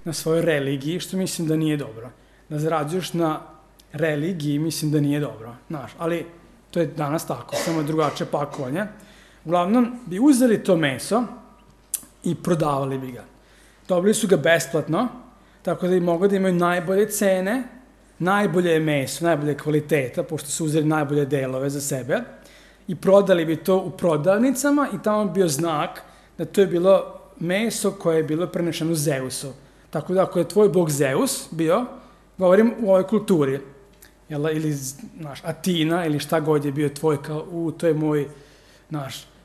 na svojoj religiji, što mislim da nije dobro. Da zarađuješ na religiji, mislim da nije dobro, znaš, ali to je danas tako, samo je drugačije pakovanje. Uglavnom, bi uzeli to meso i prodavali bi ga. Dobili su ga besplatno, tako da bi mogli da imaju najbolje cene, najbolje meso, najbolje kvaliteta, pošto su uzeli najbolje delove za sebe, i prodali bi to u prodavnicama i tamo bi bio znak da to je bilo meso koje je bilo prenešeno Zeusu. Tako da ako je tvoj bog Zeus bio, govorim u ovoj kulturi, ili Atina, ili šta god je bio tvoj, kao, to je moj,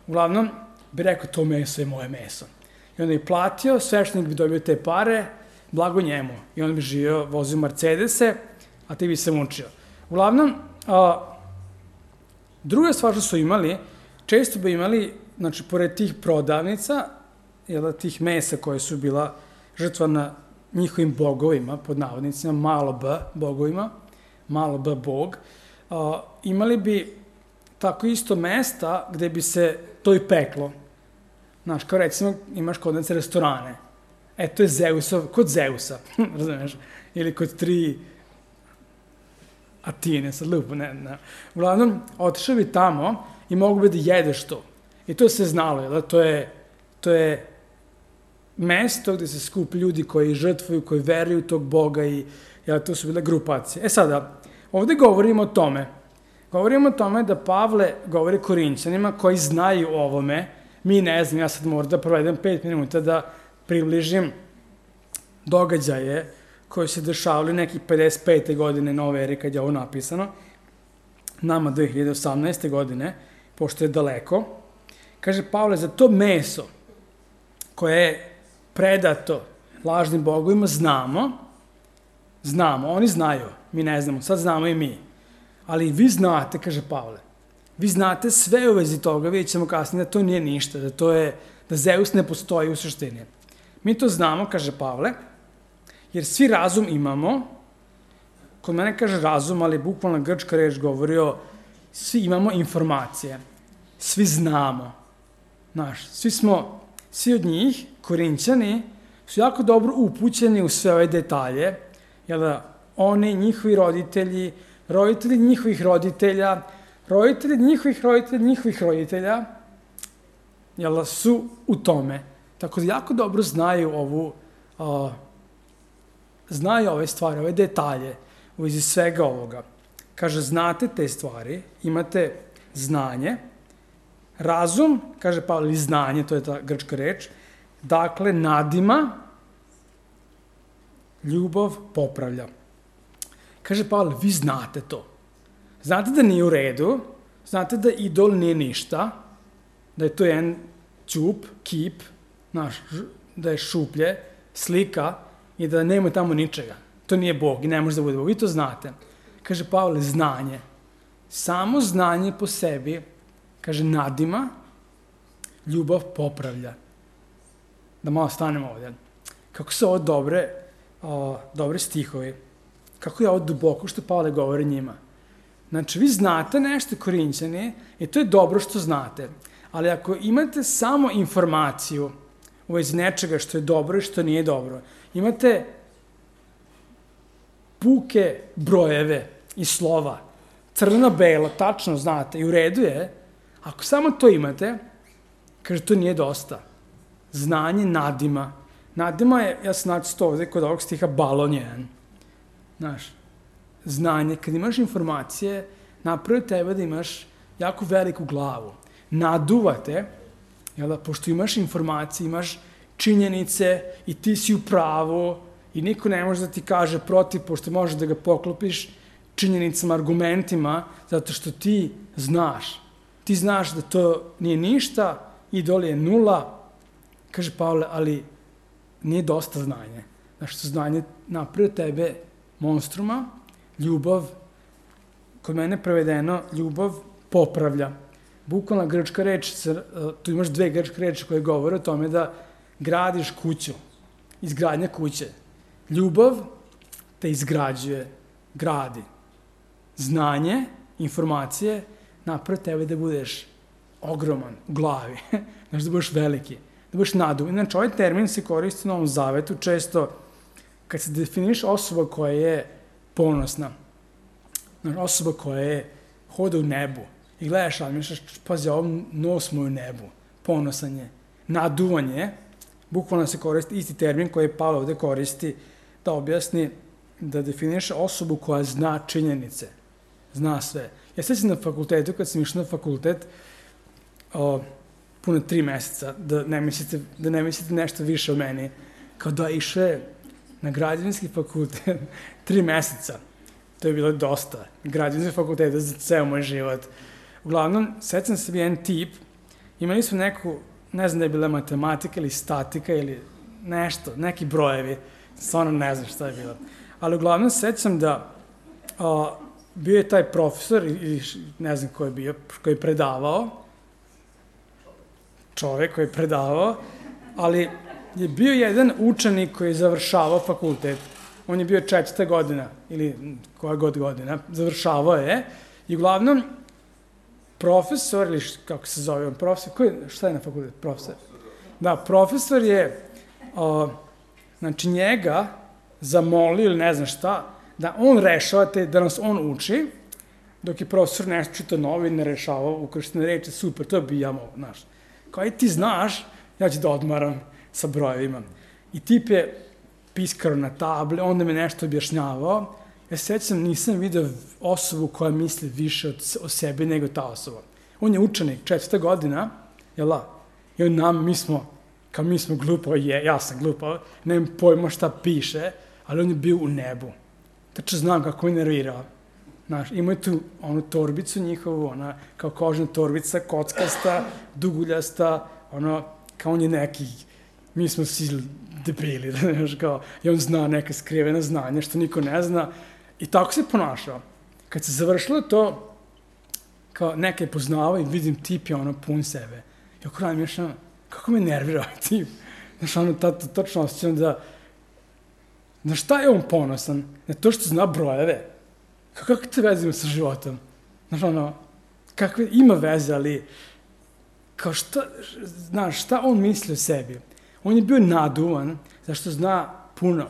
uglavnom bi rekao, to meso je moje meso. I onda bi platio, sveštenik bi dobio te pare, blago njemu. I on bi živio, vozio Mercedese, a ti bi se mučio. Uglavnom, druga stvar što su imali, često bi imali, pored tih prodavnica, tih mesa koje su bila žrtvana njihovim bogovima, pod navodnicima, malo b bogovima, malo b bog, imali bi tako isto mesta gde bi se to i peklo. Znaš, kao recimo imaš kod nas restorane. To je Zeusov, kod Zeusa, razumeš? Ili kod 3 Atine, sad lupo, ne. Uglavnom, otišao bi tamo i mogu bi da jedeš to. I to se znalo, to je mesto gde se skup ljudi koji žrtvuju, koji veruju tog Boga i to su bile grupacije. Sada, ovde govorimo o tome. Govorimo o tome da Pavle govori Korinćanima koji znaju o ovome. Mi ne znam, ja sad moram da provedem 5 minuta da približim događaje koji se dešavali nekih 55. godine nove ere kad je ovo napisano. Nama 2018. godine, pošto je daleko. Kaže Pavle, za to meso koje je predato lažnim bogovima znamo, oni znaju, mi ne znamo, sad znamo i mi. Ali vi znate, kaže Pavle, vi znate sve u vezi toga, vidjet ćemo kasnije da to nije ništa, da Zeus ne postoji u suštini. Mi to znamo, kaže Pavle, jer svi razum imamo, kod mene kaže razum, ali bukvalno grčka reč govorio, svi imamo informacije, svi znamo, svi od njih, Korinćani, su jako dobro upućeni u sve ove detalje, oni, njihovi roditelji, roditelji njihovih roditelja, roditelji njihovih roditelja, njihovih roditelja, su u tome. Tako da jako dobro znaju znaju ove stvari, ove detalje u vezi svega ovoga. Kaže, znate te stvari, imate znanje, razum, kaže Pavle, znanje, to je ta grčka reč, dakle, nadima, ljubav popravlja. Kaže Pavle, vi znate to. Znate da nije u redu, znate da idol nije ništa, da je to jedan ćup, kip, da je šuplje, slika i da nema tamo ničega. To nije Bog i ne može da bude Bog. Vi to znate. Kaže Pavle, znanje. Samo znanje po sebi, kaže, nadima, ljubav popravlja. Da malo stanemo ovdje. Kako su ovo dobre stihovi. Kako je ovo duboko što Pavle govori njima. Znači, vi znate nešto, Korinćani, i to je dobro što znate. Ali ako imate samo informaciju u vezi nečega što je dobro i što nije dobro, imate puke brojeve i slova, crno-belo, tačno znate, i u redu je, ako samo to imate, kaže, to nije dosta. Znanje nadima. Nadima je, ja sam naći to ovde kod ovog stiha, balon jedan. Znanje, kad imaš informacije, napravi tebe da imaš jako veliku glavu. Naduvate, pošto imaš informacije, imaš činjenice i ti si u pravu i niko ne može da ti kaže protiv, pošto možeš da ga poklopiš činjenicama, argumentima, zato što ti znaš. Ti znaš da to nije ništa, idol je nula, kaže Pavle, ali nije dosta znanje. Što znanje napravi tebe monstruma, ljubav, kod mene prevedeno, ljubav popravlja. Bukvalna grčka reč, tu imaš 2 grčke reči koje govore o tome da gradiš kuću, izgradnja kuće. Ljubav te izgrađuje, gradi. Znanje, informacije, napravi tebe da budeš ogroman u glavi, da budeš veliki, da budeš naduvan. Znači, ovaj termin se koristi u Novom Zavetu često kad se definiš osoba koja je ponosna, osoba koja je hoda u nebu i gledaš, ali misliš, pazi, ovom nos mu u nebu, ponosan je, naduvan je, bukvalno se koristi isti termin koji je Pavle ovde koristi da objasni, da definiše osobu koja zna činjenice, zna sve. Ja sećam na fakultetu, kad sam išao na fakultet, puno 3 meseca, da ne mislite nešto više o meni, kao da išao na građevinski fakultet 3 meseca. To je bilo dosta. Građevinski fakultet za ceo moj život. Uglavnom, sećam se jedan tip, imali smo neku, ne znam da je bila matematika ili statika ili nešto, neki brojevi, stvarno ne znam šta je bilo. Ali uglavnom, sećam da bio je taj profesor, ili ne znam ko je bio, koji je predavao, čovek koji je predavao, ali je bio jedan učenik koji je završavao fakultet. On je bio 4. godina, ili koja god godina, završavao je. I uglavnom, profesor, ili kako se zove on, profesor, šta je na fakultetu, profesor? Da, profesor je, znači njega zamolio ili ne znam šta, da on rešava da nas on uči, dok je profesor nešto čitao novine, rešavao ukrštene reči, super, to bi ja mogu, znaš. Kao i ti znaš, ja ću da odmaram sa brojevima. I tip je piskaro na table, onda me nešto objašnjavao. Ja sećam, nisam video osobu koja misli više o sebi nego ta osoba. On je učenik, 4. godina, jel da? I on mi smo glupavi, ja sam glupav, nemam pojma šta piše, ali on je bio u nebu. Tačno znam kako je nervirao. Znaš, imao je tu onu torbicu njihovu, ona kao kožna torbica, kockasta, duguljasta, kao on je neki, mi smo svi debili, znaš, kao, i on zna neka skrivena znanja što niko ne zna, i tako se ponašao. Kad se završilo to, kao neka je poznavao i vidim tip je pun sebe. I oko radim još kako me nervira ovaj tip. Znaš, točno osjećam da, na šta je on ponosan? Na to što zna brojeve. Kako te vezimo sa životom? Znaš, kakve ima veze, ali kao šta on misli o sebi? On je bio naduvan, zašto zna puno,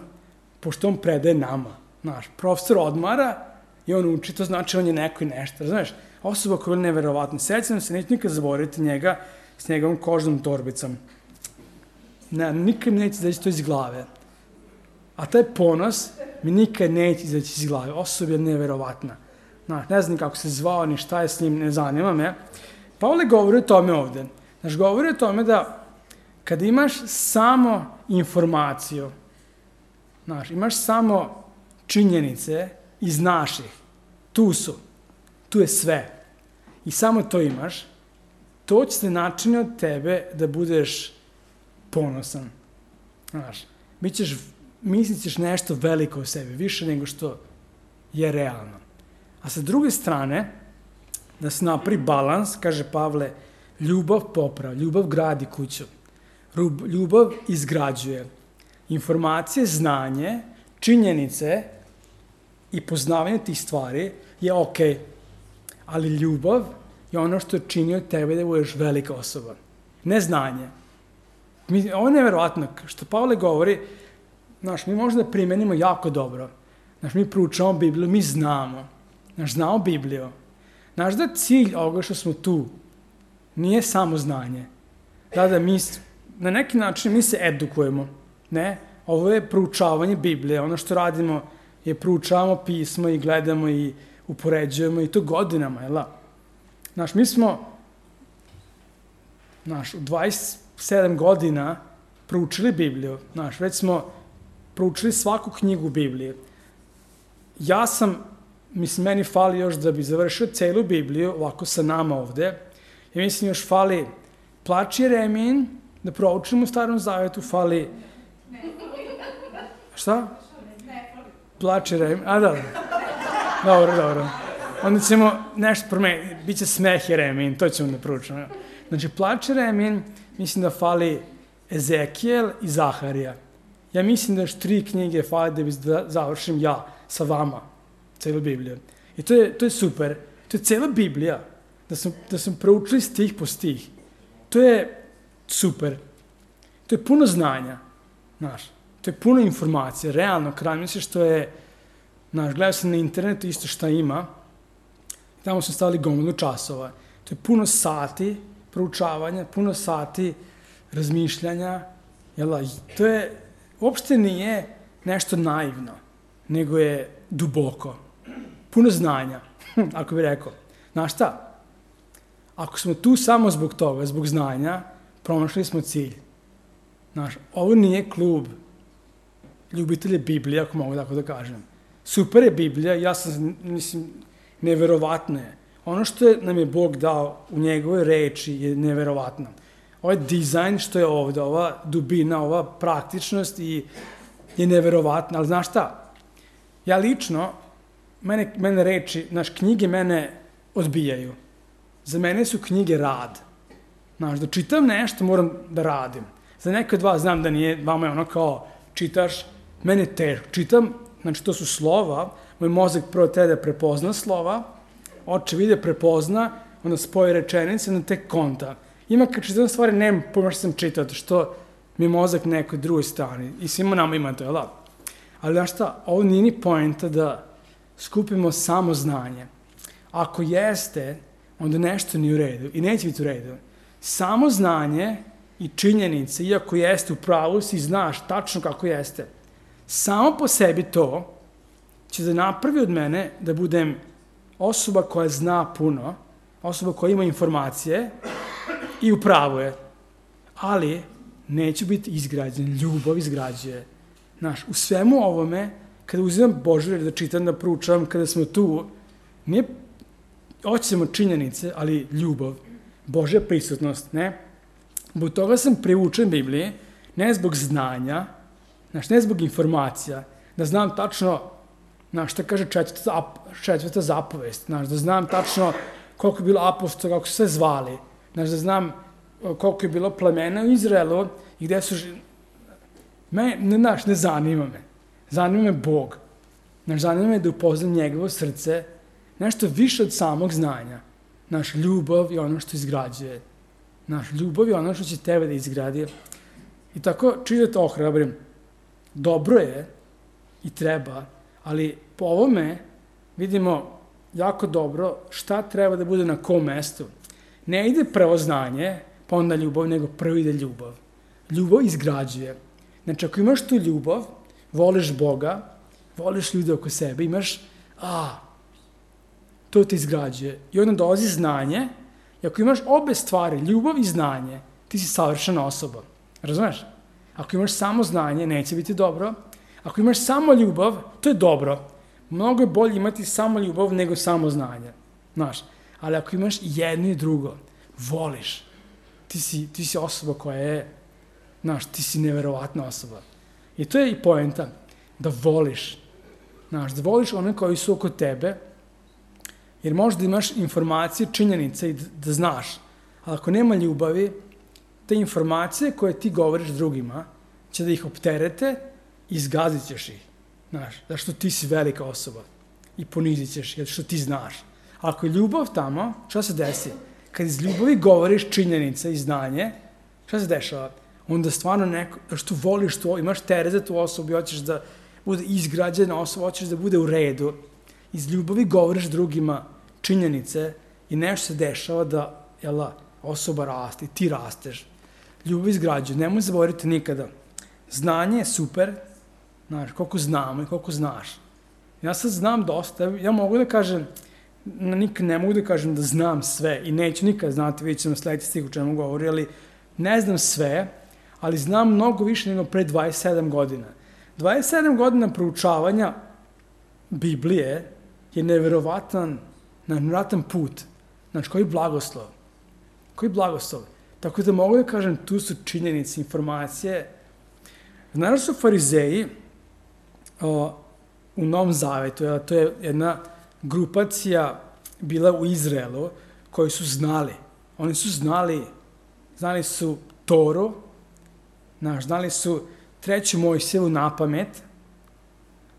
pošto on predaje nama. Znaš, profesor odmara i on uči, to znači on je neko i nešto. Znaš, osoba koja je neverovatna. Sećam se, neću nikad zaboraviti njega s njegovom kožnom torbicom. Nikad mi neće izaći to iz glave. A taj ponos mi nikad neće izaći iz glave. Osoba je neverovatna. Znaš, ne znam kako se zvao, ni šta je s njim, ne zanima me. Pavle govori o tome ovde. Znaš, govori o tome da kada imaš samo informaciju, znaš, imaš samo činjenice i znaš ih, tu je sve. I samo to imaš, to će se načini od tebe da budeš ponosan. Znaš, mislit ćeš nešto veliko o sebi, više nego što je realno. A sa druge strane, da se napravi balans, kaže Pavle, ljubav popravlja, ljubav gradi kuću, ljubav izgrađuje. Informacije, znanje, činjenice i poznavanje tih stvari je okej, ali ljubav je ono što čini od tebe da budeš velika osoba. Ne znanje. Ovo je nevjerovatno, što Pavle govori, znaš, mi možda primenimo jako dobro. Znaš, mi proučavamo Bibliju, mi znamo. Znaš, znamo Bibliju. Znaš da cilj ovoga što smo tu nije samo znanje. Da mi, na neki način mi se edukujemo. Ne? Ovo je proučavanje Biblije. Ono što radimo je proučavamo pismo i gledamo i upoređujemo i to godinama, jel da? Znaš, mi smo, znaš, u 27 godina proučili Bibliju. Znaš, već smo proučili svaku knjigu Biblije. Meni fali još da bi završio celu Bibliju, ovako sa nama ovde. I mislim još fali Plač Jeremijin, da proučimo u Starom Zavetu, fali... Šta? Plač Jeremijin, da. Dobro. Onda ćemo nešto promeniti, bit će Smeh Jeremijin, to ćemo da proučimo. Znači, Plač Jeremijin, mislim da fali Ezekijel i Zaharija. Ja mislim da još 3 knjige fali da bi završim ja sa vama celu Bibliju. I to je super. To je cela Biblija. Da sam proučili stih po stih. To je super. To je puno znanja. Znaš. To je puno informacija, realno, kad misliš što je, gledao sam na internetu isto šta ima, tamo su stavili gomilu časova. To je puno sati proučavanja, puno sati razmišljanja, to je, uopšte nije nešto naivno, nego je duboko. Puno znanja, ako bih rekao. Znaš šta? Ako smo tu samo zbog toga, zbog znanja, promašili smo cilj. Ovo nije klub ljubitelja Biblije, ako mogu tako da kažem. Super je Biblija, ja sam, neverovatno je. Ono što nam je Bog dao u njegovoj reči je neverovatno. Ovaj dizajn što je ovde, ova dubina, ova praktičnost je neverovatna, ali znaš šta? Ja lično, mene reči, knjige mene odbijaju. Za mene su knjige rad. Da čitam nešto, moram da radim. Za neke od vas znam da nije, vama je ono kao čitaš, mene teško. Čitam, to su slova, moj mozak prvo treba da prepozna slova, oče vide, prepozna, onda spoji rečenice, onda tek konta. Ima kad čitam stvari, nemam pojma što sam čitao, što mi je mozak na nekoj drugoj strani. I svima nama ima to, jel' da? Ali znaš šta, ovo nije ni poenta da skupimo samo znanje. Ako jeste, onda nešto nije u redu i neće biti u redu. Samo znanje i činjenice, iako jeste u pravu, si znaš tačno kako jeste. Samo po sebi to će da napravi od mene da budem osoba koja zna puno, osoba koja ima informacije i u pravu je. Ali neću biti izgrađen, ljubav izgrađuje. U svemu ovome, kada uzimam Božju reč da čitam, da proučavam, kada smo tu, nije hoćemo činjenice, ali ljubav, Božja prisutnost, ne? Zbog toga sam priučen Bibliji, ne zbog znanja, ne zbog informacija, da znam tačno, šta kaže četvrta zapovest, da znam tačno koliko je bilo apostola, kako su sve zvali, da znam koliko je bilo plemena u Izraelu i gde su... Ne zanima me. Zanima me Bog. Zanima me da upoznam njegovo srce, nešto više od samog znanja. Ljubav je ono što izgrađuje. Ljubav je ono što će tebe da izgradi. I tako čitati ohrabrim. Dobro je i treba, ali po ovome vidimo jako dobro šta treba da bude na kom mestu. Ne ide prvo znanje, pa onda ljubav, nego prvo ide ljubav. Ljubav izgrađuje. Ako imaš tu ljubav, voliš Boga, voliš ljude oko sebe, imaš, to te izgrađuje. I onda dolazi znanje, i ako imaš obe stvari, ljubav i znanje, ti si savršena osoba. Razumeš? Ako imaš samo znanje, neće biti dobro. Ako imaš samo ljubav, to je dobro. Mnogo je bolje imati samo ljubav nego samo znanje. Ali ako imaš jedno i drugo, voliš, ti si osoba koja je, ti si neverovatna osoba. I to je i poenta, da voliš. Da voliš one koji su oko tebe, jer možda imaš informacije, činjenice i da znaš. Ali ako nema ljubavi, te informacije koje ti govoriš drugima će da ih opterete i izgazit ćeš ih. Zašto ti si velika osoba i ponizit ćeš, jer što ti znaš. A ako je ljubav tamo, šta se desi? Kad iz ljubavi govoriš činjenice i znanje, šta se dešava? Onda stvarno neko, što voliš to, imaš teret za tu osobu i hoćeš da bude izgrađena osoba, hoćeš da bude u redu. Iz ljubavi govoriš drugima činjenice i nešto se dešava da osoba raste i ti rasteš. Ljubav izgrađuje, nemoj zaboraviti nikada. Znanje je super, koliko znamo i koliko znaš. Ja sad znam dosta, ja mogu da kažem, nikad ne mogu da kažem da znam sve i neću nikad znati, vidjet ćemo sledeći stih u čemu govori, ali ne znam sve, ali znam mnogo više nego pre 27 godina. 27 godina proučavanja Biblije je neverovatan put. Koji blagoslov. Koji blagoslov. Tako da mogu da kažem, tu su činjenice, informacije. Znaš su farizeji u Novom Zavetu, to je jedna grupacija bila u Izraelu koji su znali. Oni su znali su Toru, znali su 3. Mojsijevu na pamet,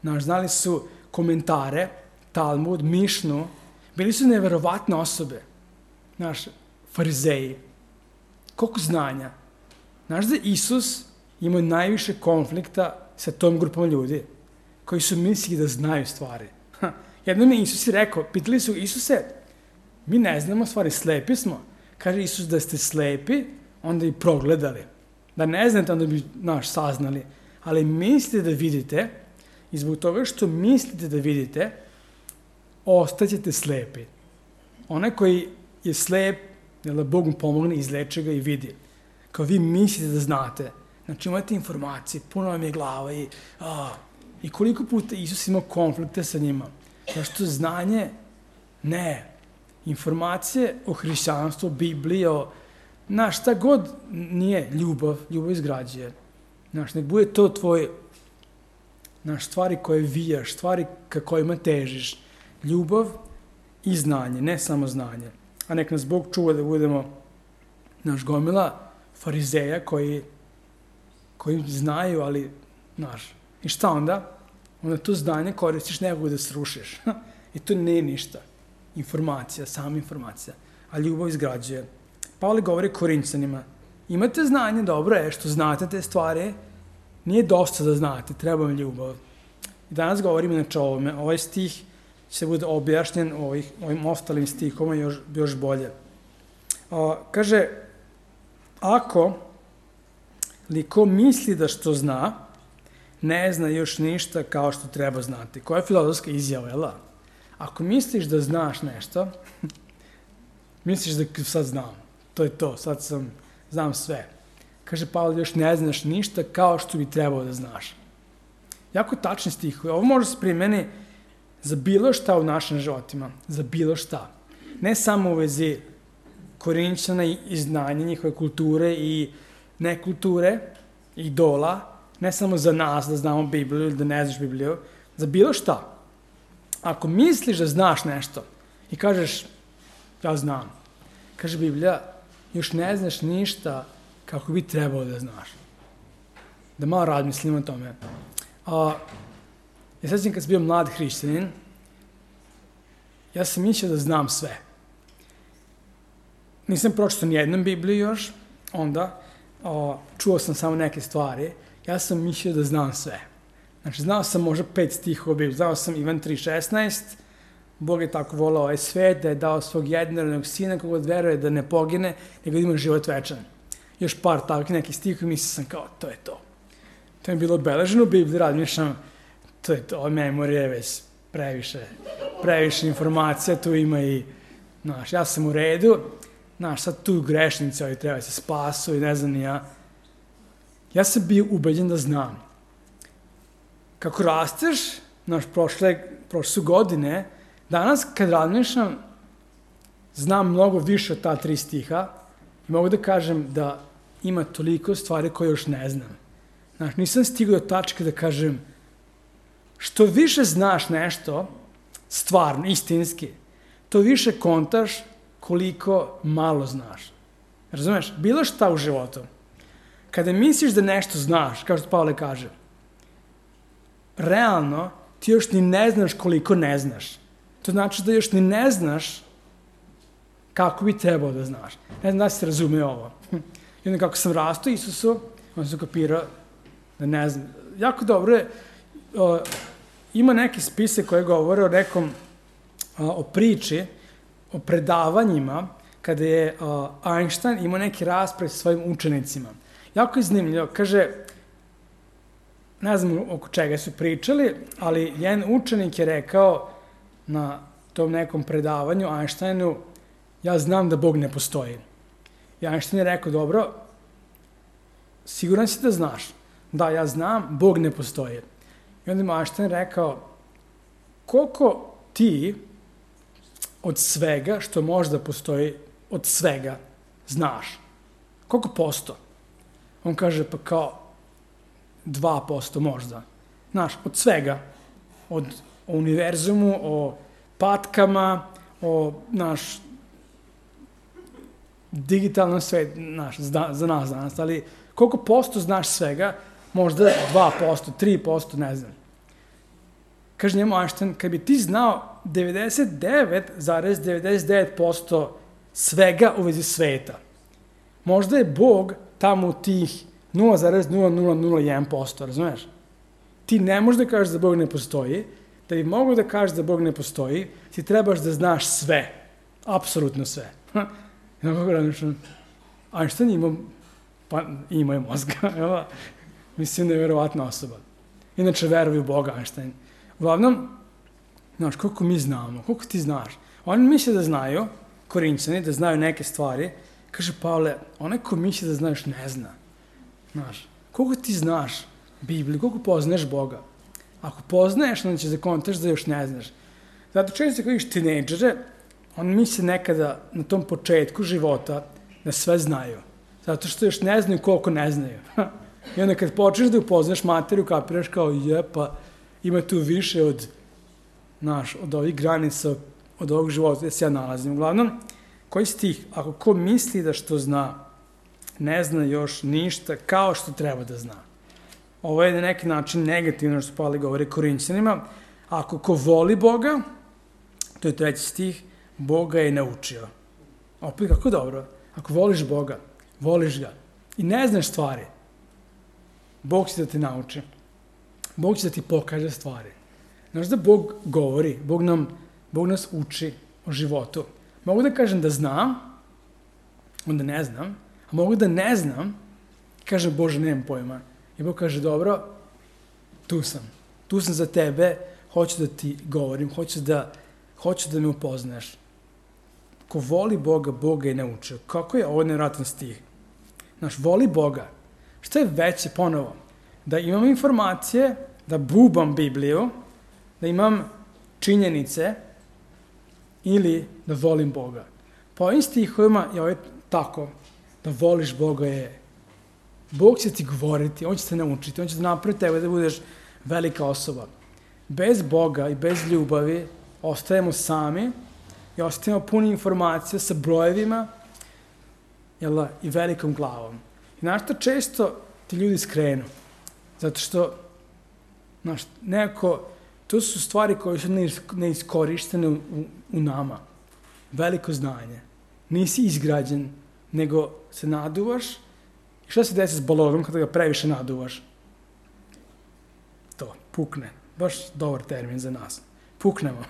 znali su komentare, Talmud, Mišnu, bili su neverovatne osobe, farizeji. Koliko znanja. Znaš da Isus imao najviše konflikta sa tom grupom ljudi koji su mislili da znaju stvari. Jednom je Isus rekao, pitali su Isuse, mi ne znamo stvari, slepi smo. Kaže Isus da ste slepi, onda i progledali. Da ne znate, onda bi saznali. Ali mislite da vidite i zbog toga što mislite da vidite, ostaćete slepi. Onaj koji je slep, da Bog mu pomogne, izleče ga i vidi. Kao vi mislite da znate. Znači imate informacije, puno vam je glava i koliko puta Isus ima konflikte sa njima. Zašto znanje? Ne. Informacije o hrišćanstvu, o Bibliji, šta god nije ljubav izgrađuje. Nek bude to tvoje stvari koje vijaš, stvari ka kojima težiš. Ljubav i znanje, ne samo znanje. A nek nas Bog čuva da budemo gomila farizeja koji znaju, ali i šta onda? Onda to znanje koristiš nekog da srušiš. I to nije ništa. Informacija, sama informacija. A ljubav izgrađuje. Pavle govori Korinćanima, imate znanje, dobro je što znate te stvari, nije dosta da znate, treba vam ljubav. I danas govorim inače o ovome, ovaj stih će bude objašnjen ovim ostalim stihoma još bolje. Kaže, ako li ko misli da što zna, ne zna još ništa kao što treba znati. Koja je filozofska izjava, jel da? Ako misliš da znaš nešto, misliš da sad znam. To je to, sad znam sve. Kaže Pavle, još ne znaš ništa kao što bi trebao da znaš. Jako tačni stih. Ovo može se primeni za bilo šta u našim životima. Za bilo šta. Ne samo u vezi Korinćana i znanja njihove kulture i nekulture, idola, ne samo za nas da znamo Bibliju ili da ne znaš Bibliju, za bilo šta. Ako misliš da znaš nešto i kažeš, ja znam, kaže Biblija, još ne znaš ništa kako bi trebalo da znaš. Da malo razmislim o tome. Ja sećam kad sam bio mlad hrišćanin, ja sam mislio da znam sve. Nisam pročitao nijednom Bibliju još, onda čuo sam samo neke stvari, ja sam mislio da znam sve. Znači, znao sam možda 5 stihova Biblije, znao sam Ivan 3,16, Bog je tako volao ovaj svet, da je dao svog jednorodnog sina kogod veruje da ne pogine, nego da ima život večan. Još par takvih nekih stihova i mislio sam kao, to je to. To je bilo obeleženo u Bibliji, razmišljam, to je to, memorija je već previše informacija, tu ima i, ja sam u redu, sad tu grešnici, ali treba se spasu i ne znam ni ja. Ja sam bio ubeđen da znam. Kako rasteš, prošle su godine, danas kad razmišljam, znam mnogo više od ta 3 stiha i mogu da kažem da ima toliko stvari koje još ne znam. Nisam stigao do tačke da kažem, što više znaš nešto, stvarno, istinski, to više kontaš koliko malo znaš. Razumeš? Bilo šta u životu. Kada misliš da nešto znaš, kao što Pavle kaže, realno ti još ni ne znaš koliko ne znaš. To znači da još ni ne znaš kako bi trebao da znaš. Ne znam da se razume ovo. I onda kako sam rastao Isusu, onda sam kapirao da ne znam. Jako dobro je, ima neki spise koje govore o nekom, o priči, o predavanjima, kada je Einstein imao neki rasprav sa svojim učenicima. Jako je zanimljivo. Kaže, ne znam oko čega su pričali, ali jedan učenik je rekao na tom nekom predavanju Einsteinu, ja znam da Bog ne postoji. I Einstein je rekao, dobro, siguran si da znaš. Da, ja znam, Bog ne postoji. I onda mu Einstein rekao, koliko ti od svega što možda postoji, od svega, znaš? Koliko posto? On kaže, pa kao 2% možda. Znaš, od svega. O univerzumu, o patkama, o digitalnom svetu, za nas danas, ali koliko posto znaš svega, možda 2%, 3%, ne znam. Kaže njemu Einstein, kad bi ti znao 99,99% svega u vezi sveta, možda je Bog tamo u tih 0,0001%, razumeš? ti ne možeš da kažeš da Bog ne postoji, da bi mogo da kažeš da Bog ne postoji, ti trebaš da znaš sve, apsolutno sve. Einstein imao je mozga, mislim da je verovatna osoba. Inače, veruju u Boga, Einstein. Uglavnom, znaš, koliko mi znamo, koliko ti znaš. Oni misle da znaju, Korinćani, da znaju neke stvari. Kaže Pavle, onaj ko misle da znaš, ne zna. Znaš, koliko ti znaš Bibliju, koliko poznaješ Boga. Ako poznaješ, onda ćeš da kontaš da još ne znaš. Zato često kad vidiš tinejdžere, oni misle nekada na tom početku života da sve znaju. Zato što još ne znaju koliko ne znaju. I onda kad počneš da upoznaš materiju, kapiraš kao, pa ima tu više od ovih granica, od ovog života gde se ja nalazim. Uglavnom, koji stih, ako ko misli da što zna, ne zna još ništa kao što treba da zna. Ovo je na neki način negativno što Pavle govori Korinćanima. Ako ko voli Boga, to je 3. stih, Boga je naučio. Opet, kako dobro. Ako voliš Boga, voliš ga i ne znaš stvari, Bog će da te nauči. Bog će da ti pokaže stvari. Znaš da Bog govori, Bog nas uči o životu. Mogu da kažem da znam, onda ne znam, a mogu da ne znam, kažem, Bože, nemam pojma. I Bog kaže, dobro, tu sam za tebe, hoću da ti govorim, hoću da me upoznaš. Ko voli Boga, Boga je naučio. Kako je ovo nevjerojatan stih? Znaš, voli Boga. Šta je veće ponovo? Da imam informacije, da bubam Bibliju, da imam činjenice ili da volim Boga. Po ovim stihovima je ovo tako, da voliš Boga je, Bog će ti govoriti, On će te naučiti, On će te napraviti tebe da budeš velika osoba. Bez Boga i bez ljubavi ostajemo sami i ostajemo puni informacija sa brojevima i velikom glavom. I znaš što često ti ljudi skrenu? Zato što, znaš, nekako, to su stvari koje su neiskorištene u nama. Veliko znanje. Nisi izgrađen, nego se naduvaš. I šta se desi s balonom kada ga previše naduvaš? To, pukne. Baš dobar termin za nas. Puknemo.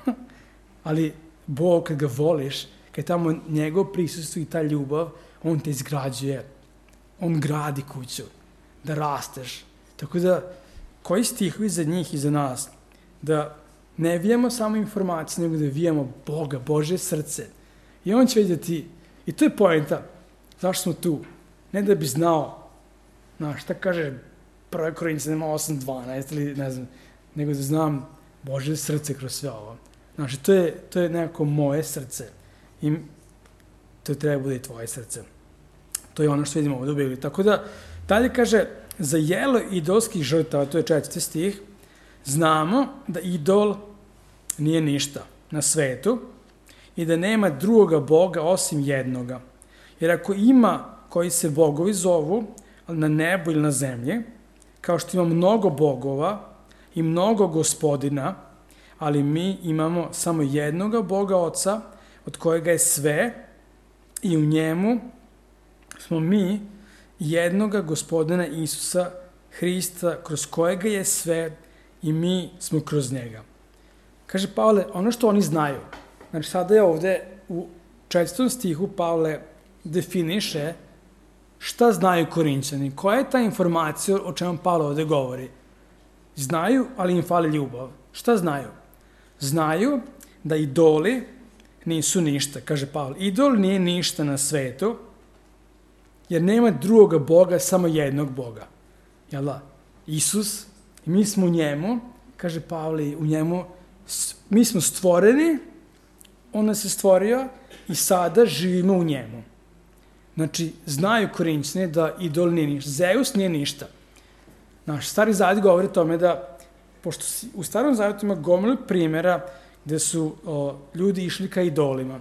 Ali Bog, kad ga voliš, kad je tamo njegov prisustvo i ta ljubav, On te izgrađuje. On gradi kuću. Da rasteš. Tako da, koji stihovi za njih i za nas? Da ne vijemo samo informacije, nego da vijemo Boga, Božje srce. I On će vidjeti, i to je poenta, zašto smo tu. Ne da bi znao, šta kaže 1. Korinćanima 8:12 ili ne znam, nego da znam Božje srce kroz sve ovo. Znači, to je nekako moje srce i to treba bude i tvoje srce. To je ono što vidimo ovdje u Bibliji. Tako da, dalje kaže, za jelo idolskih žrtava, to je 4. stih, znamo da idol nije ništa na svetu i da nema drugoga Boga osim jednoga. Jer ako ima koji se bogovi zovu na nebu ili na zemlji, kao što ima mnogo bogova i mnogo gospodina, ali mi imamo samo jednoga Boga Oca, od kojega je sve i u njemu smo mi jednoga gospodina Isusa Hrista, kroz kojega je sve i mi smo kroz njega. Kaže Pavle, ono što oni znaju, znači sada je ovde u 4. stihu Pavle definiše šta znaju Korinćani, koja je ta informacija o čemu Pavle ovde govori. Znaju, ali im fali ljubav. Šta znaju? Znaju da idoli nisu ništa, kaže Pavle. Idol nije ništa na svetu, jer nema drugoga Boga, samo jednog Boga. Jel da? Isus, i mi smo u njemu, kaže Pavle, u njemu, mi smo stvoreni, On nas je stvorio i sada živimo u njemu. Znači, znaju Korinćani da idol nije ništa. Zeus nije ništa. Naš Stari Zavet govori o tome da, pošto u Starom Zavetu ima gomilu primjera gde su ljudi išli ka idolima.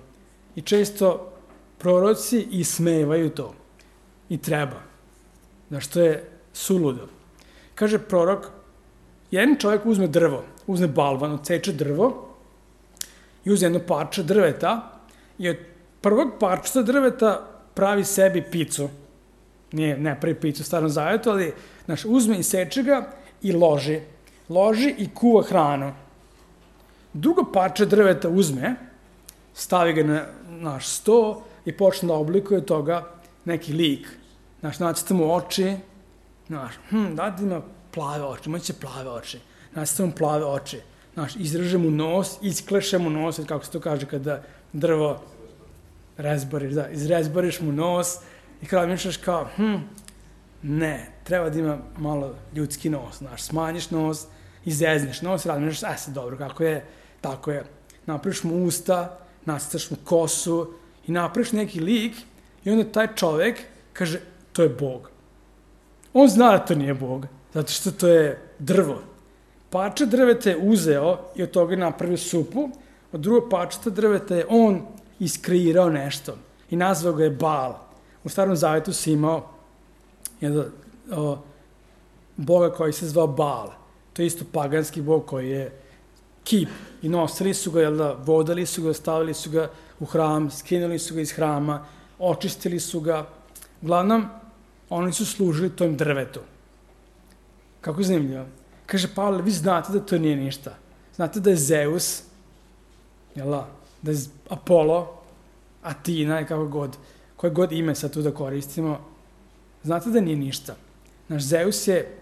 I često proroci ismevaju to. I treba. Znaš, to je suludo. Kaže prorok, jedan čovjek uzme drvo, uzme balvan, odseče drvo i uzme jedno parče drveta i od prvog parčeta drveta pravi sebi picu. Ne pravi picu u Starom Zavetu, ali uzme i seče ga i loži. loži i kuva hranu. Drugo parče drveta uzme, stavi ga na naš sto i počne da oblikuje toga neki lik. Nacrta mu oči, da ima plave oči, imaće plave oči. Nacrta mu plave oči. Izreže mu nos, iskleše mu nos, kako se to kaže kada drvo rezbariš, izrezbariš mu nos i kada mišljaš kao, ne, treba da ima malo ljudski nos, smanjiš nos, izezneš nos, razmišljaš, sad dobro, kako je, tako je. Napraviš mu usta, nacrtaš mu kosu i napraviš neki lik i onda taj čovek kaže, to je Bog. On zna da to nije Bog, zato što to je drvo. Parče drveta je uzeo i od toga je napravio supu, od drugog parčeta drveta je on iskreirao nešto i nazvao ga je Baal. U Starom Zavetu si imao Boga koji se zvao Baal. To je isto paganski Bog koji je kip i nosili su ga, vodali su ga, stavili su ga u hram, skinuli su ga iz hrama, očistili su ga. Uglavnom, oni su služili tom drvetu. Kako zanimljivo. Kaže Pavle, vi znate da to nije ništa. Znate da je Zeus, da je Apollo, Atina i koje god ime sad tu da koristimo, znate da nije ništa. Naš Zeus je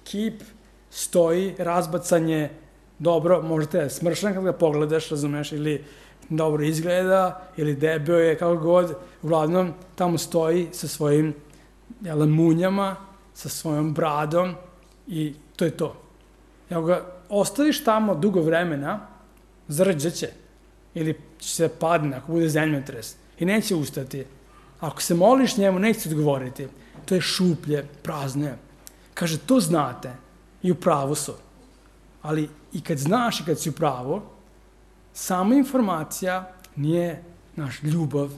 kip, stoji, razbacan je, dobro, možete da je smršan kad ga pogledaš, razumeš, ili dobro izgleda, ili debeo je, kako god, uglavnom tamo stoji sa svojim munjama, sa svojom bradom i to je to. Ako ga ostaviš tamo dugo vremena, zrđaće ili će se padne ako bude zemljotres i neće ustati. Ako se moliš njemu, neće odgovoriti. To je šuplje, prazno je. Kaže, to znate i u pravu su. Ali i kad znaš i kad si u pravu, sama informacija nije naš ljubav.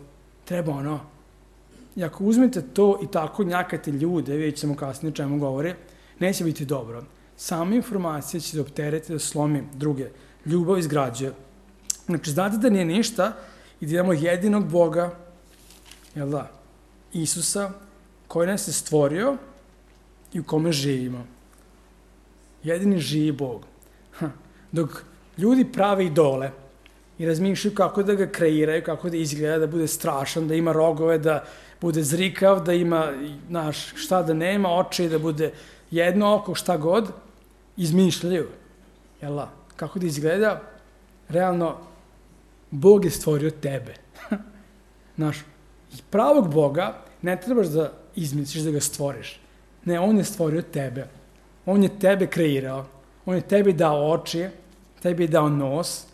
Treba I ako uzmete to i tako njakate ljude, vidjet ćemo kasnije o čemu govori, neće biti dobro. Sama informacija će da optereti, da slomi druge. Ljubav izgrađuje. Znači, znate da nije ništa i da imamo jedinog Boga, Isusa, koji nas je stvorio i u kome živimo. Jedini živi Bog. Dok ljudi prave idole i razmišljaju kako da ga kreiraju, kako da izgleda, da bude strašan, da ima rogove, da bude zrikav, da ima, šta da nema, oči, da bude jedno oko, šta god, izmišljaju. Kako da izgleda? Realno, Bog je stvorio tebe. I pravog Boga ne trebaš da izmisliš, da ga stvoriš. Ne, on je stvorio tebe. On je tebe kreirao. On je tebi dao oči, tebi je dao nos.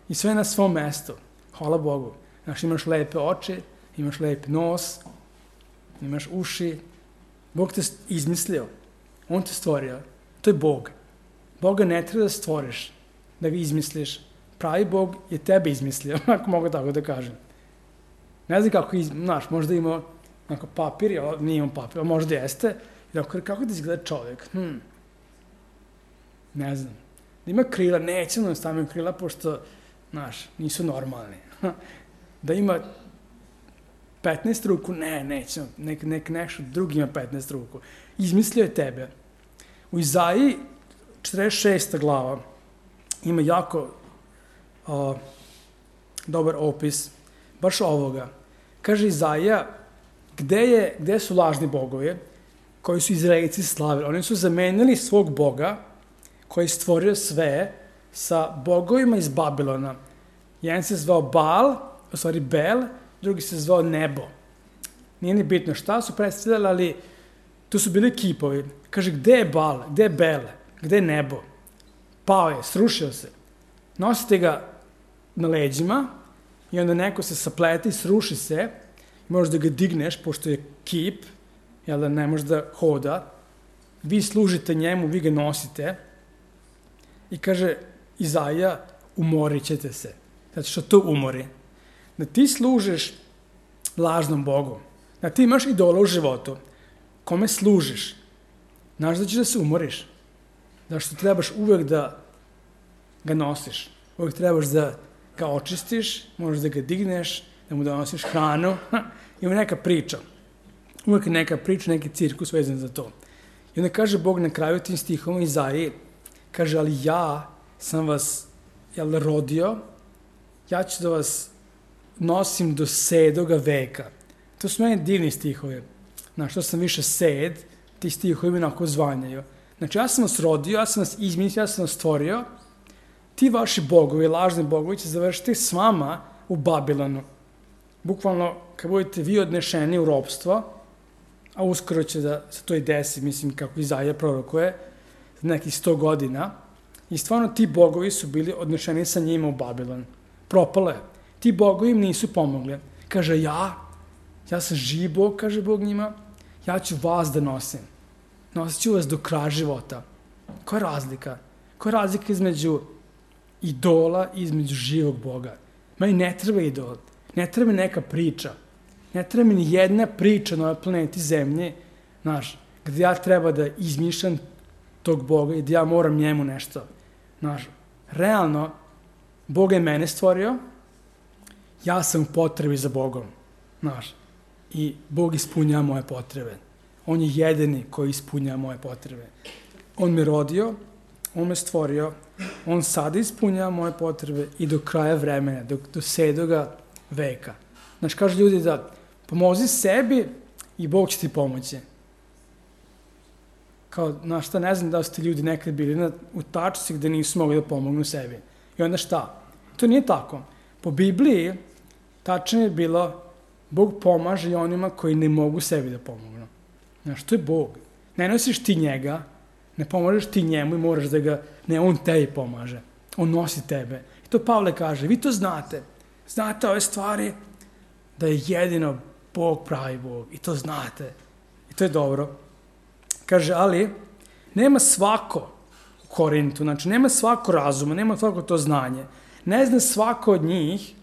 I sve na svom mestu. Hvala Bogu. Imaš lepe oči, imaš lep nos, imaš uši. Bog te izmislio. On te stvorio. To je Bog. Boga ne treba da stvoriš, da ga izmisliš. Pravi Bog je tebe izmislio, ako mogu tako da kažem. Ne znam kako, možda ima papir, nije imam papir, možda jeste. Kako da izgleda čovjek? Ne znam. Da ima krila, neće da stavim krila, pošto, nisu normalni. Da ima 15 ruku, neće. Nek nešto drugi ima 15 ruku. Izmislio je tebe. U Izaiji 46. glava ima jako dobar opis baš ovoga. Kaže Izaija, gde su lažni bogovi koji su Izraelci slavili? Oni su zamenili svog Boga koji je stvorio sve sa bogovima iz Babilona. Jedan se zvao Bel, drugi se zvao Nebo. Nije ni bitno šta su predstavljali, ali tu su bili kipovi. Kaže, gde je Bal, gde je Bel, gde je Nebo? Pao je, srušio se. Nosite ga na leđima i onda neko se saplete i sruši se. Možeš da ga digneš, pošto je kip, ne može da hoda. Vi služite njemu, vi ga nosite. I kaže Izaija, umorit ćete se. Zato što to umori. Da ti služiš lažnom Bogu. Da ti imaš idola u životu. Kome služiš? Znaš da ćeš da se umoriš. Zato što trebaš uvek da ga nosiš. Uvek trebaš da ga očistiš, možeš da ga digneš, da mu donosiš hranu. Ima neka priča. Uvek je neka priča, neki cirkus vezan za to. I onda kaže Bog na kraju tim stihom Izaiji, kaže, ali ja sam vas rodio, ja ću da vas nosim do 7. veka. To su meni divni stihovi. Znaš, što sam više sed, ti stihovi mi onako zvanjaju. Znači, ja sam vas rodio, ja sam vas izmislio, ja sam vas stvorio, ti vaši bogovi, lažni bogovi će završiti s vama u Babilonu. Bukvalno, kad budete vi odnešeni u ropstvo, a uskoro će da se to i desi, mislim, kako Izaija prorokuje, za nekih 100 godina, i stvarno ti bogovi su bili odnešeni sa njima u Babilon. Propalo je. Ti bogovi im nisu pomogli. Kaže, ja sam živ Bog, kaže Bog njima, ja ću vas da nosim. Nosit ću vas do kraja života. Koja je razlika? Koja je razlika između idola i između živog Boga? Meni ne treba idol, ne treba mi neka priča, ne treba mi ni jedna priča na ovoj planeti Zemlje, znaš, gde ja treba da izmišljam tog Boga i da ja moram njemu nešto. Znaš, realno, Bog je mene stvorio, ja sam u potrebi za Bogom, znaš, i Bog ispunjava moje potrebe. On je jedini koji ispunjava moje potrebe. On me rodio, on me stvorio, on sada ispunjava moje potrebe i do kraja vremena, do 7. veka. Znaš, kažu ljudi da pomozi sebi i Bog će ti pomoći. Kao, znaš šta, ne znam da su ti ljudi nekad bili u tačci gde nisu mogli da pomognu sebi. I onda šta? To nije tako. Po Bibliji tačno je bilo Bog pomaže i onima koji ne mogu sebi da pomognu. Znaš, to je Bog. Ne nosiš ti njega, ne pomožeš ti njemu i moraš da ga, ne, on tebi pomaže. On nosi tebe. I to Pavle kaže, vi to znate. Znate ove stvari da je jedino Bog pravi Bog. I to znate. I to je dobro. Kaže, ali nema svako u Korintu, znači nema svako razuma, nema svako to znanje. Ne zna svako od njih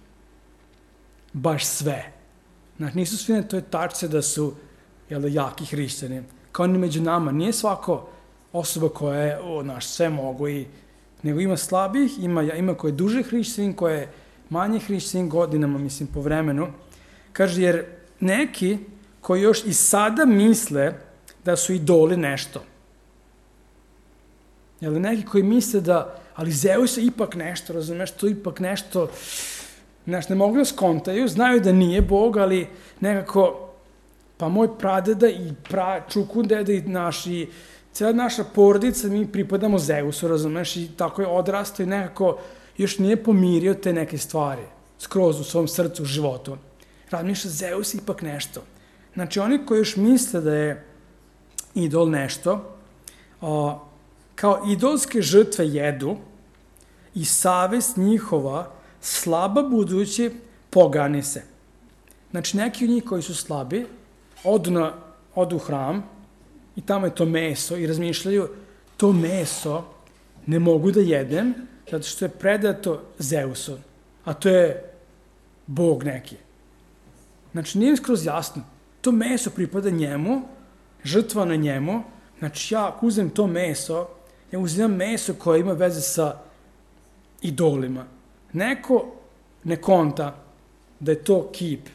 baš sve. Znači, nisu svi na toj tačci da su jaki hrišćani. Kao ni među nama. Nije svako osoba koja je, sve mogu nego ima slabih, ima koje je duže hrišćanin, koje je manje hrišćanin godinama, mislim, po vremenu. Kaže, jer neki koji još i sada misle da su idoli nešto. Neki koji misle da, ali Zeus je ipak nešto, razumeš, to ipak nešto, ne mogu da skontaju, znaju da nije Bog, ali nekako, pa moj pradeda i čukundeda i cijela naša porodica, mi pripadamo Zeusu, razumeš, i tako je odrastao i nekako još nije pomirio te neke stvari, skroz u svom srcu, u životu. Razmišlja, Zeus ipak nešto. Znači, oni koji još misle da je idol nešto, kao idolske žrtve jedu i savest njihova slaba budući pogani se. Znači, neki od njih koji su slabi odu u hram i tamo je to meso i razmišljaju, to meso ne mogu da jedem zato što je predato Zeusu, a to je Bog neki. Znači, nije skroz jasno. To meso pripada njemu, žrtva na njemu, znači ja ako uzem to meso, ja uzimam meso koje ima veze sa idolima. Neko ne konta da je to kip,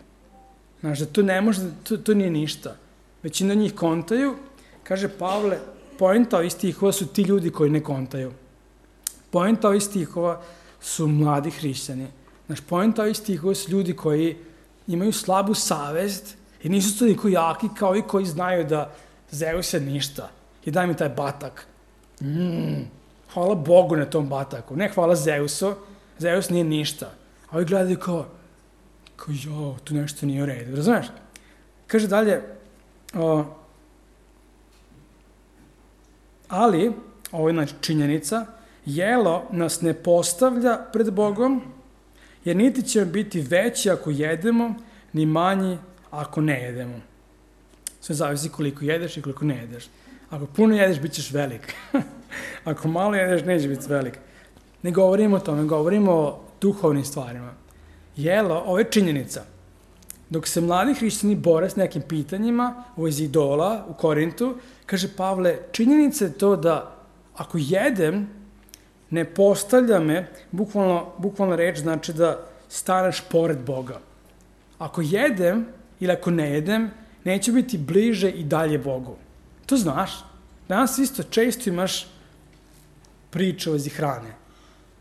znači da to ne može, to nije ništa. Većina njih kontaju, kaže Pavle, poenta ovih stihova su ti ljudi koji ne kontaju. Poenta ovih stihova su mladi hrišćani. Znači, poenta ovih stihova su ljudi koji imaju slabu savest i nisu toliko jaki kao i koji znaju da Zeus je ništa. I daj mi taj batak. Hvala Bogu na tom bataku. Ne hvala Zeusu. Zeus nije ništa. A ovi gledaju kao tu nešto nije u redu. Razumeš? Kaže dalje, ali, ovo je činjenica, jelo nas ne postavlja pred Bogom, jer niti će biti veći ako jedemo, ni manji ako ne jedemo. Sve zavisi koliko jedeš i koliko ne jedeš. Ako puno jedeš, bit ćeš velik. Ako malo jedeš, neće biti velik. Ne govorimo o tome, govorimo o duhovnim stvarima. Jelo, ovo je činjenica. Dok se mladi hrišćani bore s nekim pitanjima u vezi idola u Korintu, kaže Pavle, činjenica je to da ako jedem, ne postavlja me, bukvalno reč znači da staneš pored Boga. Ako jedem ili ako ne jedem, neće biti bliže i dalje Bogu. To znaš. Danas isto često imaš priče o vezi hrane.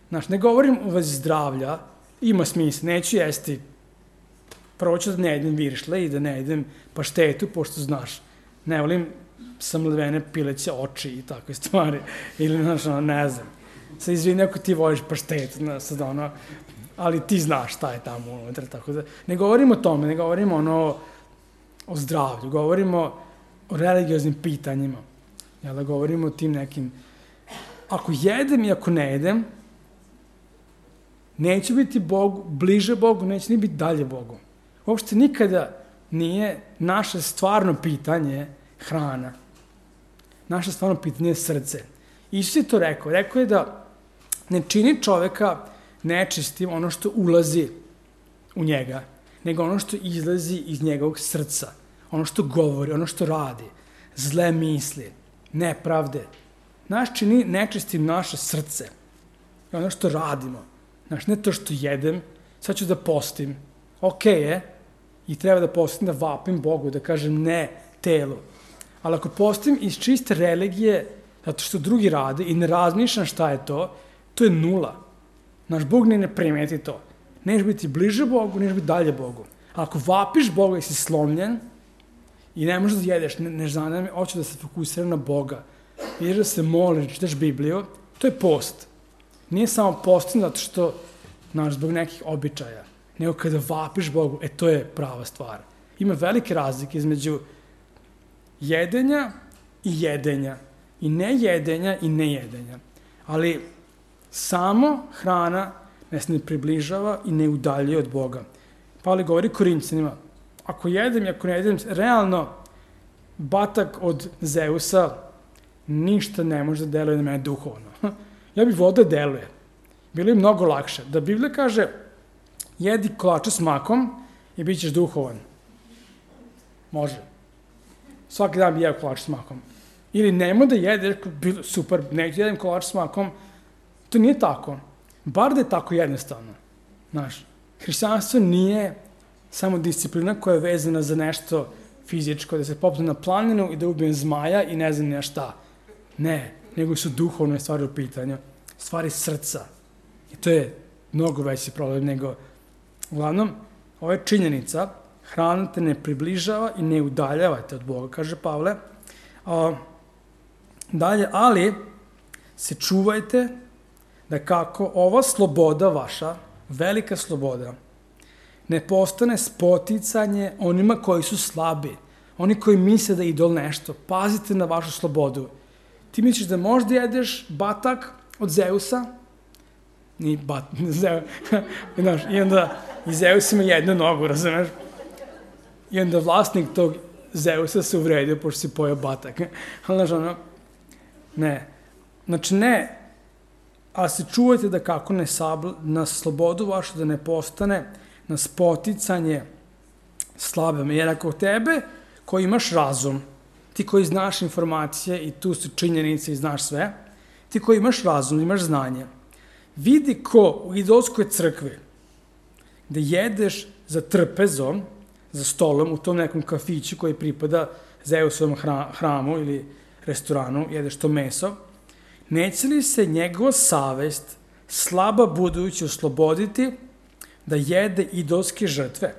Znaš, ne govorim o vezi zdravlja, ima smisla, neću jesti, prvo ću da ne jedem viršle i da ne jedem paštetu, pošto znaš, ne volim samledvene pileće oči i takve stvari, ili, znaš, ne znam, sad izvini ako ti voliš paštetu, sad ali ti znaš šta je tamo unutra, tako da, ne govorimo o tome, ne govorimo o zdravlju, govorimo o religioznim pitanjima, jel da govorimo o tim nekim, ako jedem i ako ne jedem, neću biti Bogu, bliže Bogu, neću ni biti dalje Bogu. Uopšte nikada nije naše stvarno pitanje hrana. Naše stvarno pitanje je srce. Isus je to rekao. Rekao je da ne čini čoveka nečistim ono što ulazi u njega, nego ono što izlazi iz njegovog srca. Ono što govori, ono što radi. Zle misli, nepravde. Nas čini nečistim naše srce. I ono što radimo. Znaš, ne to što jedem, sad ću da postim. Okej je, i treba da postim, da vapim Bogu, da kažem ne telu. Ali ako postim iz čiste religije, zato što drugi rade i ne razmišljam šta je to je nula. Naš Bog ne primeti to. Neš biti bliže Bogu, neš biti dalje Bogu. A ako vapiš Boga i si slomljen i ne možeš da jedeš, ne zanima me, hoću da se fokusiram na Boga. Ideš da se moliš, čitaš Bibliju, to je post. Nije samo postim zato što, znaš, zbog nekih običaja, nego kada vapiš Bogu, to je prava stvar. Ima velike razlike između jedenja i jedenja. I nejedenja i nejedenja. Ali samo hrana nas ne približava i ne udaljuje od Boga. Pavle govori Korinćanima, ako jedem i ako ne jedem, realno batak od Zeusa ništa ne može da deluje na mene duhovno. Ja bih volio da deluje. Bilo je mnogo lakše. Da Biblija kaže, jedi kolače s makom i bit ćeš duhovan. Može. Svaki dan bi jeo kolač s makom. Ili nemoj da jedeš, super, neću jedem kolač s makom. To nije tako. Bar da je tako jednostavno. Znaš, hrišćanstvo nije samo disciplina koja je vezana za nešto fizičko, da se popne na planinu i da ubijem zmaja i ne znam nija šta. Ne, nego su duhovne stvari u pitanju. Stvari srca. I to je mnogo veći problem nego... Uglavnom, ovo je činjenica, hrana te ne približava i ne udaljavate od Boga, kaže Pavle. Dalje, ali se čuvajte da kako ova sloboda vaša, velika sloboda, ne postane spoticanje onima koji su slabi, oni koji misle da je idol nešto. Pazite na vašu slobodu. Ti misliš da možda jedeš batak od Zeusa? Ni Znaš, i onda i Zeus ima jednu nogu, razumeš? I onda vlasnik tog Zeusa se uvredio pošto si pojeo batak. Ali, znaš, ne. Znači, ne, ali se čuvajte da kako na slobodu vašu da ne postane na spoticanje slabima. Jer ako tebe, koji imaš razum, ti koji znaš informacije i tu su činjenice i znaš sve, ti koji imaš razum, imaš znanje, vidi ko u idolskoj crkvi, gde jedeš za trpezom, za stolom, u tom nekom kafiću koji pripada Zeusovom hramu ili restoranu, jedeš to meso, neće li se njegova savest slaba budući osloboditi da jede idolske žrtve?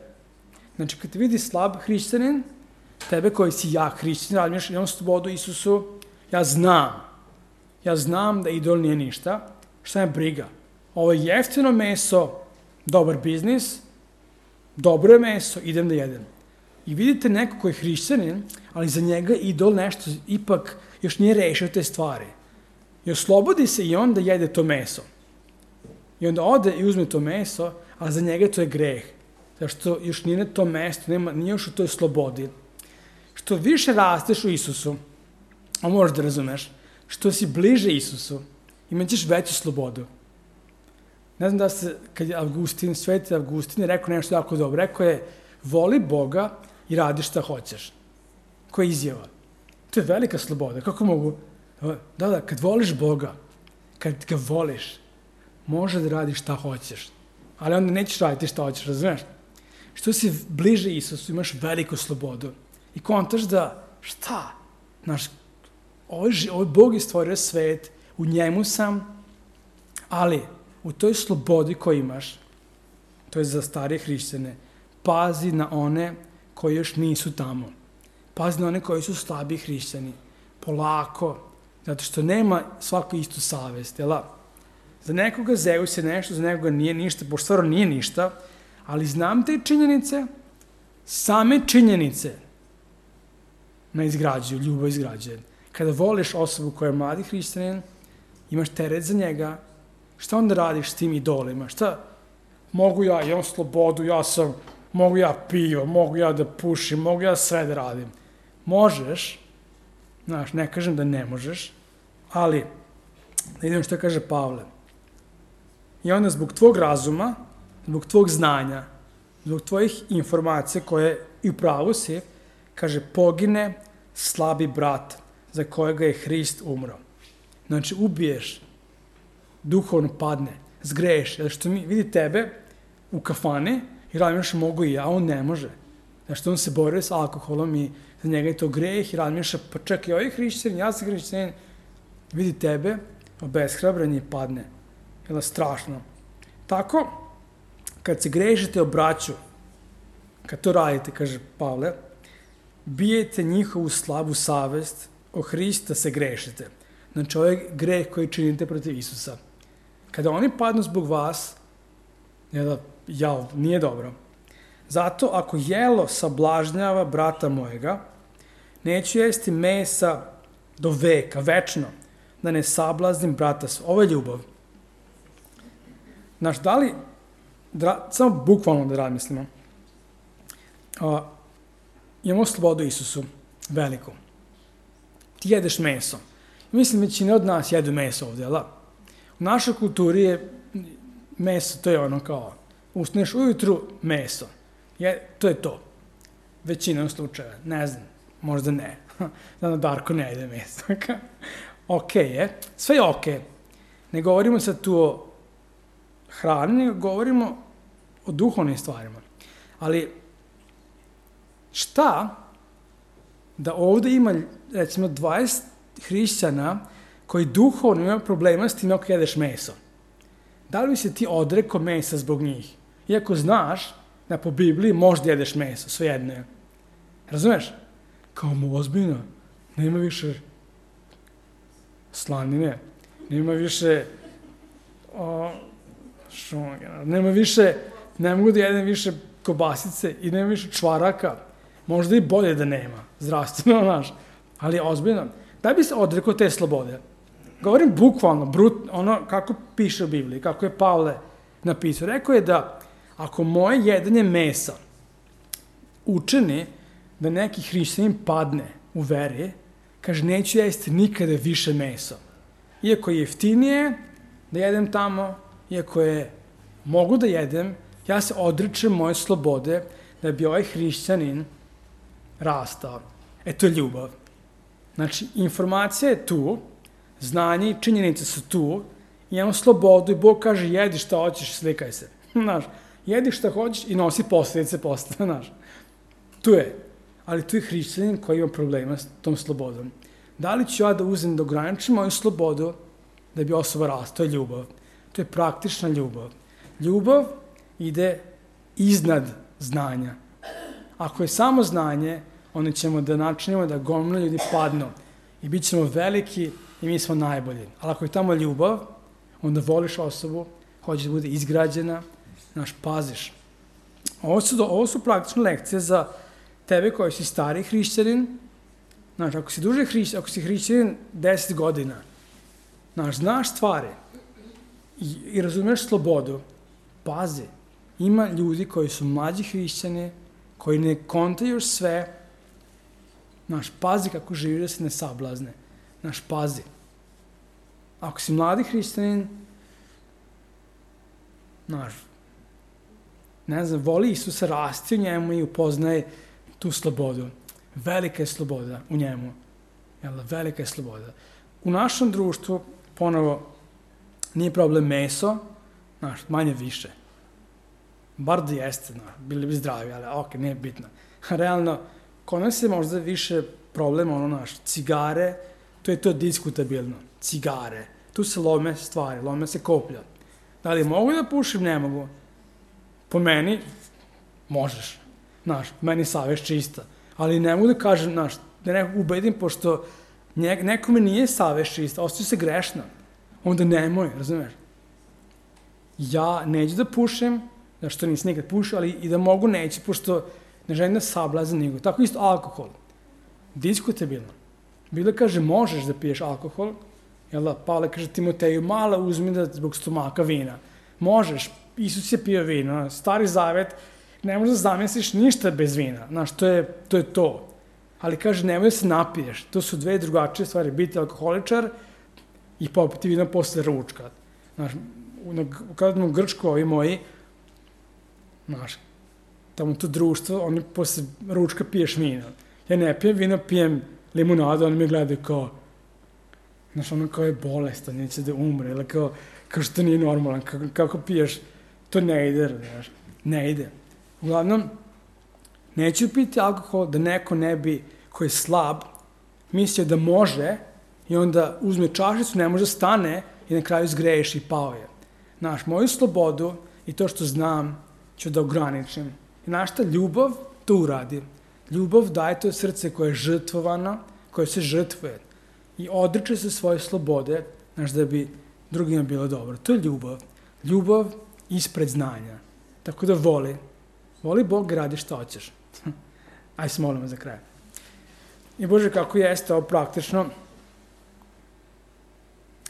Znači, kad te vidi slab hrišćanin, tebe koji si jak hrišćanin, radmiš, imam slobodu Isusu, ja znam da idol nije ništa, šta je briga? Ovo je jeftino meso, dobar biznis, dobro je meso, idem da jedem. I vidite neko koji je hrišćanin, ali za njega idol nešto ipak još nije rešio te stvari. I oslobodi se i on da jede to meso. I onda ode i uzme to meso, a za njega to je greh. Zašto još nije na to mesto, nije još u toj slobodi. Što više rasteš u Isusu, a možeš da razumeš, što si bliže Isusu, imat ćeš veću slobodu. Ne znam da se, kad je Sveti Avgustin je rekao nešto jako dobro, rekao je, voli Boga i radi šta hoćeš. Koja je izjava? To je velika sloboda. Kako mogu? Da, kad voliš Boga, kad ga voliš, može da radiš šta hoćeš. Ali onda nećeš raditi šta hoćeš, razumeš? Što si bliže Isusu, imaš veliku slobodu. I kontaš da, šta? Znaš, Ovo Bog je stvorio svet, u njemu sam, ali u toj slobodi koju imaš, to je za starije hrišćane, pazi na one koji još nisu tamo. Pazi na one koji su slabi hrišćani. Polako, zato što nema svako istu savest, jel? Za nekoga Zeus je nešto, za nekoga nije ništa, pošto stvarno nije ništa, ali znam te činjenice, same činjenice me izgrađuju, ljubav izgrađuje. Kada voliš osobu koja je mladi hrišćanin, imaš teret za njega, šta onda radiš s tim idolima? Šta? Mogu ja, imam slobodu, mogu ja pivo, mogu ja da pušim, mogu ja sve da radim. Možeš, znaš, ne kažem da ne možeš, ali, da idem što kaže Pavle. I onda zbog tvog razuma, zbog tvog znanja, zbog tvojih informacija koje i u pravu si, kaže, pogine slabi brat za kojega je Hrist umro. Znači, ubiješ, duhovno padne, zgreješ, jer što mi vidi tebe u kafani i razmišljaš mogu i ja, on ne može. Znači, on se bori s alkoholom i za njega je to greh i razmišlja, pa čekaj, ovaj hrišćanin, ja sam hrišćanin, vidi tebe, obeshrabren i padne. Jel' strašno. Tako, kad se grešite o braću, kad to radite, kaže Pavle, bijete njihovu slabu savest, o Hrista se grešite. Znači, ovo je greh koji činite protiv Isusa. Kada oni padnu zbog vas, nije dobro. Zato, ako jelo sablažnjava brata mojega, neću jesti mesa do veka, večno, da ne sablaznim brata svoga. Ovo je ljubav. Znaš, samo bukvalno da razmislimo, imamo slobodu Isusu, veliku. Ti jedeš meso. Mislim, većina od nas jedu meso ovdje, ali u našoj kulturi je meso, to je ono kao, ustaneš ujutru meso. To je to. Većinom slučaja. Ne znam, možda ne. Znam da Darko ne jede meso. Okej je. Sve je okej. Ne govorimo sad tu o hrani, nego govorimo o duhovnim stvarima. Ali šta da ovdje ima, recimo, 20 hrišćana koji duhovno imaju problema s tim ako jedeš meso? Da li bi se ti odrekao mesa zbog njih? Iako znaš da po Bibliji možda jedeš meso, svejedno je. Razumeš? Kao ozbiljno, nema više slanine, nema više ne mogu da jedem više kobasice i nema više čvaraka. Možda i bolje da nema, zdravstveno, znaš, ali ozbiljno. Da bi se odrekao te slobode? Govorim bukvalno, ono kako piše u Bibliji, kako je Pavle napisao. Rekao je da ako moje jedanje mesa učini da neki hrišćanin padne u veri, kaže, neću jesti nikada više mesa. Iako je jeftinije da jedem tamo, iako je mogu da jedem, ja se odričem moje slobode da bi ovaj hrišćanin rastao. To je ljubav. Znači, informacija je tu, znanje i činjenice su tu, imamo slobodu i Bog kaže, jedi šta hoćeš, slikaj se. Znaš, jedi šta hoćeš i nosi posljedice posle, znaš. Tu je. Ali tu je hrišćanin koji ima problema s tom slobodom. Da li ću ja da uzem da ograničim moju slobodu da bi osoba rastao? To je ljubav. To je praktična ljubav. Ljubav ide iznad znanja. Ako je samo znanje, onda ćemo da načinimo da gomila ljudi padnu i bit ćemo veliki i mi smo najbolji. Ali ako je tamo ljubav, onda voliš osobu, hoćeš da bude izgrađena, znaš, paziš. Ovo su praktične lekcije za tebe koji si stari hrišćanin. Znaš, ako si hrišćanin 10 godina, znaš stvari i razumeš slobodu, pazi. Ima ljudi koji su mlađi hrišćani, koji ne kontaju sve. Znaš, pazi kako živi da se ne sablazne. Znaš, pazi. Ako si mladi hrišćanin, znaš, ne znam, voli Isusa, rasti u njemu i upoznaje tu slobodu. Velika je sloboda u njemu. Velika je sloboda. U našem društvu, ponovo, nije problem meso, znaš, manje više. Bar da jeste, bili bi zdravi, ali nije bitno. Realno, kod nas je možda više problem, cigare, to je to diskutabilno. Cigare, tu se lome stvari, lome se koplja. Da li mogu da pušim? Ne mogu. Po meni, možeš. Znaš, meni savest čista. Ali ne mogu da kažem, znaš, da nekog ubedim, pošto nekome nije savest čista, ostaje se grešna. Onda nemoj, razumeš? Ja neću da pušim, što nisam nikad pušio, ali i da mogu neću, pošto ne želim da sablazim nego. Tako isto alkohol. Diskutabilno. Bila kaže, možeš da piješ alkohol, jel da, Pavle kaže Timoteju, malo uzmi da zbog stomaka vina. Možeš, Isus je pio vino, Stari Zavet, ne možeš da zamisliš ništa bez vina, znaš, to je to. Ali kaže, nemoj da se napiješ, to su dve drugačije stvari, biti alkoholičar i popiti vino posle ručka. Znaš, kada smo u Grčku, ovi moji, znaš, tamo to društvo, oni posle ručka piješ vino. Ja ne pijem vino, pijem limunadu, oni me gledaju kao, znaš, ono kao je bolestan, neće da umre, ili kao što nije normalan, kako piješ, to ne ide, znaš, ne ide. Uglavnom, neću piti alkohol da neko ne bi, koji je slab, mislio da može i onda uzme čašicu, ne može da stane i na kraju zgreši i pao je. Znaš, moju slobodu i to što znam ću da ograničim. I znaš šta, ljubav to uradi. Ljubav daje to srce koje je žrtvovano, koje se žrtvuje i odriče se svoje slobode, znaš, da bi drugima bilo dobro. To je ljubav. Ljubav ispred znanja. Tako da voli Bog, radi što hoćeš. Aj se molimo za kraj. I Bože, kako jeste ovo praktično,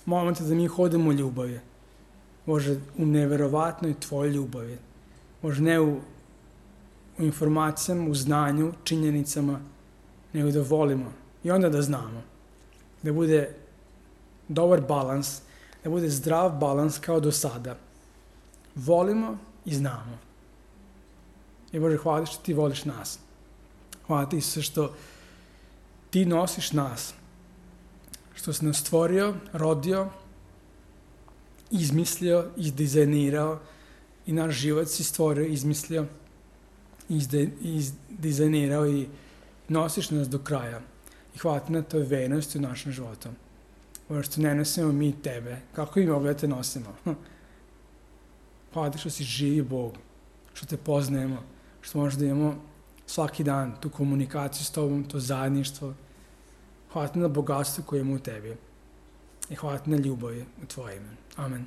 molimo te da mi hodimo u ljubavi. Bože, u neverovatnoj tvojoj ljubavi. Bože, ne u informacijama, u znanju, činjenicama, nego da volimo i onda da znamo. Da bude dobar balans, da bude zdrav balans kao do sada. Volimo i znamo. I Bože, hvala što ti voliš nas. Hvala ti sve što ti nosiš nas. Što si nas stvorio, rodio, izmislio, izdizajnirao i naš život si stvorio, izmislio, izdizajnirao i nosiš nas do kraja. I hvala ti na toj vernosti u našem životu. Bože, što ne nosimo mi tebe. Kako i mogli da te nosimo? Hvala ti što si živi Bog, što te poznajemo, što možda imamo svaki dan tu komunikaciju s tobom, to zajedništvo. Hvala ti na bogatstvu koje imamo u tebi. I hvala ti na ljubavi u tvoje ime. Amen.